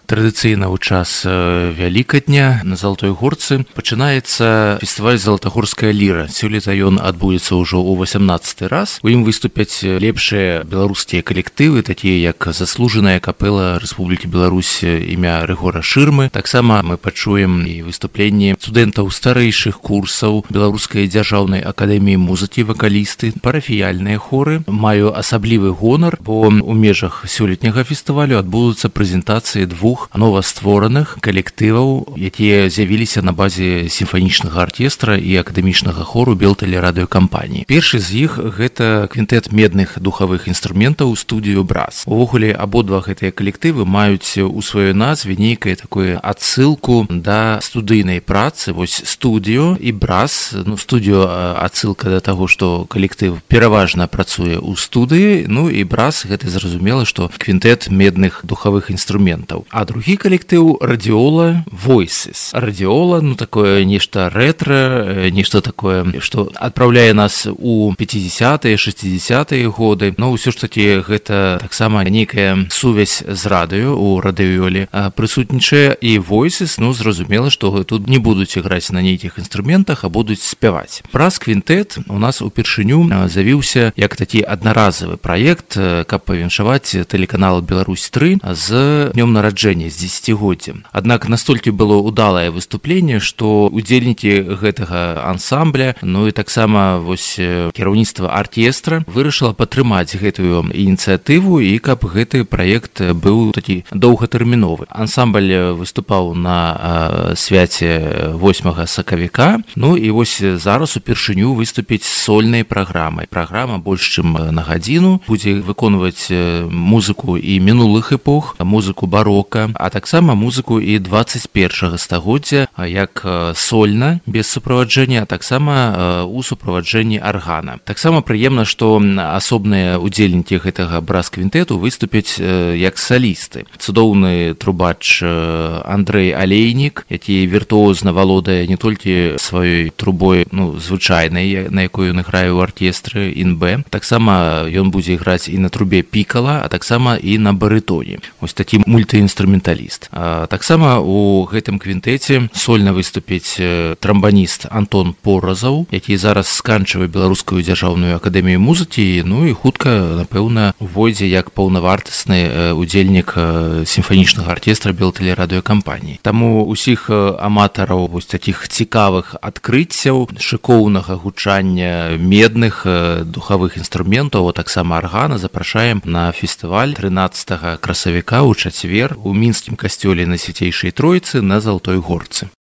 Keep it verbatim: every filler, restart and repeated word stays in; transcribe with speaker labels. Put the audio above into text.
Speaker 1: Традыцыйна ў час Вялікадня на Залатой Горцы пачынаецца фестываль «Залатагорская ліра». Сёлета ён адбудзецца ўжо ў васямнаццаты раз. У ім выступяць лепшыя беларускія калектывы, такія як заслужаная капэла Рэспублікі Беларусь імя Рыгора Шырмы. Таксама мы пачуем і выступленні студэнтаў старэйшых курсаў Беларускай дзяржаўнай акадэміі музыкі, вакалісты, парафіяльныя хоры. Маю асаблівы гонар, бо у межах сёлетняга фестывалю адбудуцца прэзентацыі двух новаствораных калектываў, якія з'явіліся на базе сімфанічнага аркестра і акадэмічнага хору Белтэлерадыёкампаніі. Першы з іх гэта квінтэт медных духавых інструментаў студыю Брас. Увогуле абодва гэтыя калектывы маюць у сваёй назве нейкае такое адсылку да студыйнай працы. Вось студыё і Брас, ну студыё адсылка да таго, што калектыв пераважна працуе ў студыі, ну і Брас гэта зразумела, што квінтэт медных духавых інструментаў. А другі калектыў Радиола Voices. Радиола, ну такое нешта рэтра, нешта такое, што адпраўляе нас у пяцідзясятыя, шэсцідзясятыя годы. Но ўсё ж такі гэта таксама нейкая сувязь з радыё у радыёле прысутнічае. І Voices, ну зразумела, што тут не будуць іграць на нейкіх інструментах, а будуць спяваць. Праз квінтэт у нас упершыню завіўся як такі аднаразовы праект, каб павіншаваць тэлеканал Беларусь тры з днём нараджэння, з дзесяцігоддзем. Аднак настолькі было удалае выступленне, што удзельнікі гэтага ансамбля, ну і таксама вось кіраўніцтва аркестра вырашыла падтрымаць гэтую ініцыятыву і каб гэты праект быў такі доўгатэрміновы. Ансамбль выступаў на свяце восьмага сакавіка, ну і вось зараз упершыню выступіць з сольнай праграмай. Праграма больш чым на гадзіну, будзе выконваць музыку і мінулых эпох, музыку барока, а таксама музыку і дваццаць першага стагоддзя, як сольна, без суправаджэння, а таксама у суправаджэнні аргана. Таксама прыемна, што асобныя удзельнікі гэтага брас-квінтэту выступяць як салісты. Цудоўны трубач Андрэй Алейнік, які віртуозна валодае не толькі сваёй трубой, ну, звычайнай, на якой ён іграе ў аркестры ін-бэ, таксама ён будзе іграць і на трубе пікала, а таксама і на барытоне. Вось такі мультыінструменталіст. А таксама у гэтым квінтэце сольна выступіць трамбаніст Антон Поразаў, які зараз сканчвае Беларускую дзяржаўную акадэмію музыкі, ну і хутка, напэўна, увойдзе як паўнавартасны удзельнік сімфанічнага аркестра Белтэлерадыёкампаніі. Таму усіх аматараў вось такіх цікавых адкрыццяў, шыкоўнага гучання медных духавых інструментаў, а таксама аргана запрашаем на фестываль трынаццатага красавіка ў чацвер у мінскім касцёле Найсвяцейшай Тройцы на Залатой Горцы.